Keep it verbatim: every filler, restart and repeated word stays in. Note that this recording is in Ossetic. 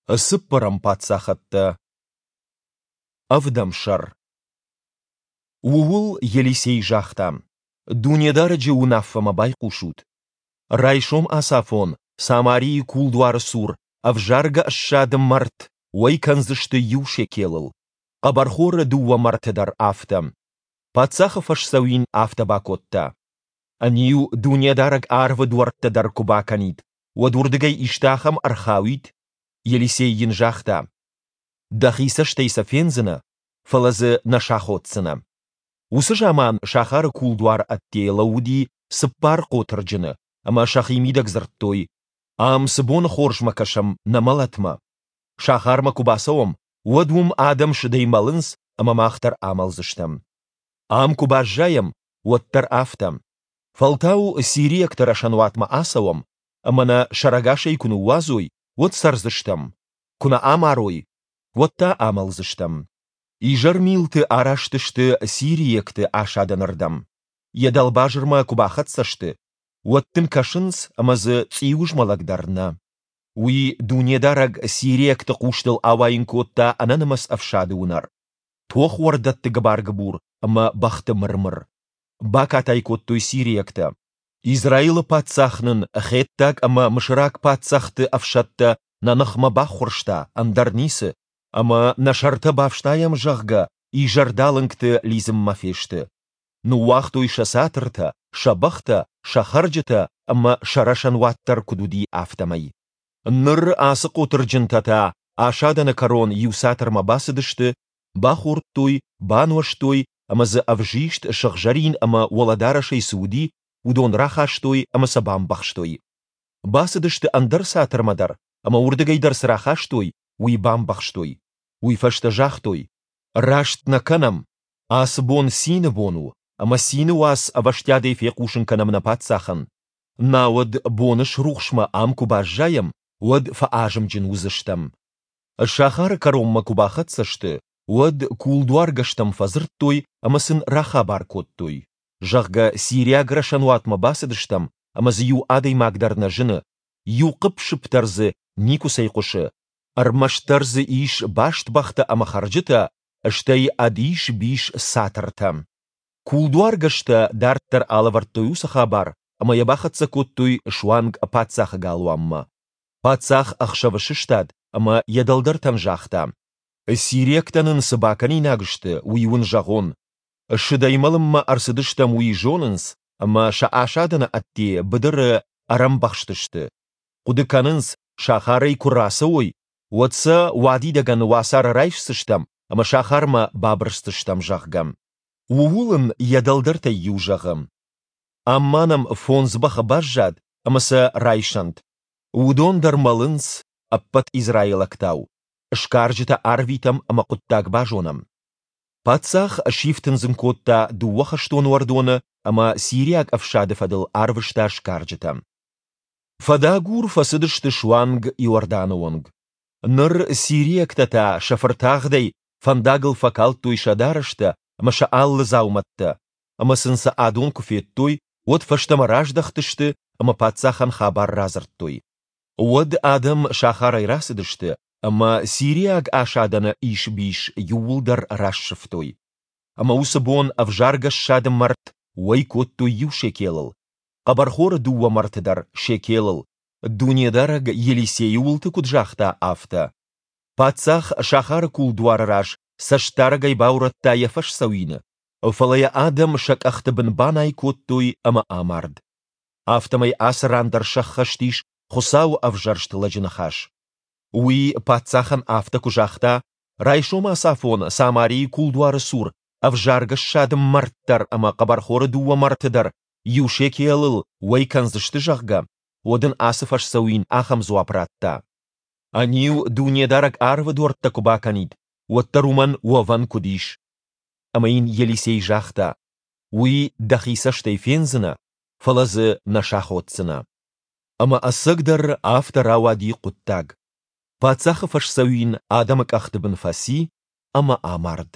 Цыппӕрӕм паддзахӕдтӕ. Ӕвдӕм сӕр. Ууыл Елисей загъта: Дунедарӕджы уынаффӕмӕ байхъусут. Райсом ацафон Самарийы кулдуары цур ӕвзаргӕ ссады мӕрт уӕй кӕндзысты иу шекелыл, хъӕбӕрхоры дыууӕ мӕрты дӕр афтӕ. Паддзахы фӕсдзӕуин афтӕ бакодта. Ӕниу, Дунедарӕг арвы дуӕрттӕ дӕр куы бакӕнид, уӕд уырдыгӕй исты ахӕм ӕрхауид? Елисей йын загъта: Дӕхи цӕстӕй сӕ фендзынӕ, фӕлӕ дзы нӕ саходдзынӕ. Уыцы заман сахары кулдуары ӕдде лӕууыди цыппар хъотырджыны ӕмӕ сӕхимидӕг дзырдтой: Ам цы боны хорзмӕ кӕсӕм нӕ мӕлӕтмӕ? Сахармӕ куы бацӕуӕм, уӕд уым адӕм сыдӕй мӕлынц ӕмӕ мах дӕр амӕлдзыстӕм. Ам куы баззайӕм, уӕд дӕр афтӕ. Фӕлтау сириӕгты рӕсӕнуатмӕ ацӕуӕм, ӕмӕ нӕ сӕрӕгасӕй куы ныууадзой, уӕд цӕрдзыстӕм, куы нӕ амарой, уӕд та амӕлдзыстӕм. Изӕрмилты араст сты сириӕгты асадӕнырдӕм. Йӕ дӕлбазырмӕ куы бахӕццӕ сты, уӕд дын кӕсынц, ӕмӕ дзы цъиуызмӕлӕг дӕр нӕ. Уый Дунедарӕг сириӕгты хъустыл ауайын кодта ӕнӕнымӕц ӕфсады уынӕр, тохуӕрдӕтты гыбар-гыбур ӕмӕ бӕхты мыр-мыр. Бакатай кодтой сириӕгтӕ: Израилы паддзах нын хеттаг ӕмӕ мысыраг паддзӕхты ӕфсӕдтӕ нӕ ныхмӕ баххуырста, ӕндӕр ницы, ӕмӕ нӕ сӕртӕ бафснайӕм, зӕгъгӕ, изӕрдалынгты лидзынмӕ фесты. Ныууагътой сӕ цатыртӕ, сӕ бӕхтӕ, сӕ хӕрджытӕ ӕмӕ сӕ рӕсӕнуат дӕр куыд уыди, афтӕмӕй. Ныр ацы хъотырджынтӕ та асадӕны кӕрон иу цатырмӕ бацыдысты, бахордтой, бануӕзтой ӕмӕ дзы ӕвзист, сыгъзӕрин ӕмӕ уӕлӕдарӕсӕй цы уыди, уыдон рахастой ӕмӕ сӕ бамбӕхстой. Бацыдысты ӕндӕр цатырмӕ дӕр ӕмӕ уырдыгӕй дӕр цы рахастой, уый бамбӕхстой. Уый фӕстӕ загътой: Раст нӕ кӕнӕм, ацы бон цины бон у, ӕмӕ цины уац ӕвӕстиатӕй фехъусын кӕнӕм нӕ паддзахӕн. Науӕд боны срухсмӕ ам куы баззайӕм, уӕд фӕазымджын уыдзыстӕм. Сахары кӕронмӕ куы бахӕццӕ сты, уӕд кулдуаргӕстӕм фӕдзырдтой ӕмӕ сын рахабар кодтой, зӕгъгӕ, сириаг рӕсӕнуатмӕ бацыдыстӕм ӕмӕ дзы иу адӕймаг дӕр нӕ зыны, иу хъыпп-сыпп дӕр дзы никуыцӕй хъуысы, ӕрмӕстдӕр дзы ис баст бӕхтӕ ӕмӕ хӕрджытӕ, стӕй ӕд ис-бис цатыртӕ. Кулдуаргӕстӕ дарддӕр алӕвӕрдтой уыцы хабар ӕмӕ йӕ бахӕццӕ кодтой суанг паддзахы галуанмӕ. Паддзах ӕхсӕвы сыстад ӕмӕ йӕ дӕлдӕртӕн загъта: Сириӕгтӕ нын цы бакӕнинаг сты, уый уын зӕгъон. Сыдӕй мӕлынмӕ ӕрцыдыстӕм, уый зонынц, ӕмӕ сӕ асадӕны ӕдде быдыры ӕрӕмбӕхстысты. Хъуыды кӕнынц, сахарӕй куы рацӕуой, уӕд сӕ уадидӕгӕн уацары райсдзыстӕм ӕмӕ сахармӕ бабырсдзыстӕм, зӕгъгӕ. Ууыл ын йӕ дӕлдӕртӕй иу зӕгъы: Ам ма нӕм фондз бӕхы баззад ӕмӕ сӕ райсӕнт. Уыдон дӕр мӕлынц, ӕппӕт израилӕгтау. Сгарджытӕ арвитӕм ӕмӕ хъуыддаг базонӕм. Паддзах сифтындзын кодта дыууӕ хӕстон уӕрдоны ӕмӕ сириаг ӕфсады фӕдыл арвыста сгарджытӕ. Фӕдагур фӕцыдысты суанг Иорданы онг. Ныр сириӕгтӕ та сӕ фыртагъдӕй фӕндагыл фӕкалдтой сӕ дарӕстӕ ӕмӕ сӕ алы дзаумӕттӕ, ӕмӕ сын сӕ адон куы федтой, уӕд фӕстӕмӕ раздӕхтысты ӕмӕ паддзахӕн хабар радзырдтой. Уӕд адӕм сахарӕй рацыдысты ӕмӕ сириаг асадӕны ис-бис иууылдӕр рассывтой. Ӕмӕ уыцы бон ӕвзаргӕ ссады мӕрт уӕй кодтой иу шекелыл, хъӕбӕрхоры дыууӕ мӕрты дӕр шекелыл, Дунедарӕг Елисейы уылты куыд загъта, афтӕ. Паддзах сахары кулдуары раз цӕстдарӕгӕй баурӕдта йӕ фӕсдзӕуины, фӕлӕ йӕ адӕм сӕ къӕхты бын банай кодтой ӕмӕ амард. Афтӕмӕй ацы ран дӕр сӕххӕст ис Хуыцауы ӕвзӕрст лӕджы ныхас. Уый паддзахӕн афтӕ куы загъта, райсом ацафон Самарийы кулдуары цур ӕвзаргӕ ссады мӕрт дӕр ӕмӕ хъӕбӕрхоры дыууӕ мӕрты дӕр иу шекелыл уӕй кӕндзысты, зӕгъгӕ, уӕд ын ацы фӕсдзӕуин ахӕм дзуапп радта: Ӕниу Дунедарӕг арвы дуӕрттӕ куы бакӕнид, уӕддӕр уымӕн уӕвӕн куыд ис? Ӕмӕ йын Елисей загъта: Уый дӕхи цӕстӕй фендзынӕ, фӕлӕ дзы нӕ саходдзынӕ. Ӕмӕ ӕцӕгдӕр афтӕ рауади хъуыддаг. Паддзахы фӕсдзӕуин адӕмы къӕхты бын фӕци ӕмӕ амард.